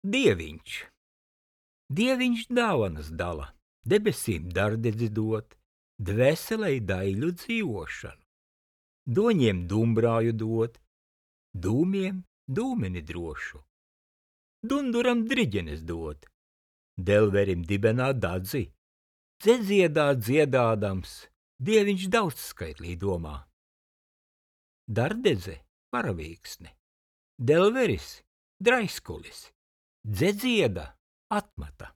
Dieviņš. Dieviņš dāvanas dala, debesīm dardedzi dot, dvēselei daļu dzīvošanu, doņiem dumbrāju dot, dūmiem dūmeni drošu, dunduram driģenes dot, delverim dibenā dadzi, dziedā dziedādams, Dieviņš daudz skaitlī domā. Dardedze paravīksne, delveris draiskulis, dzedzieda atmata.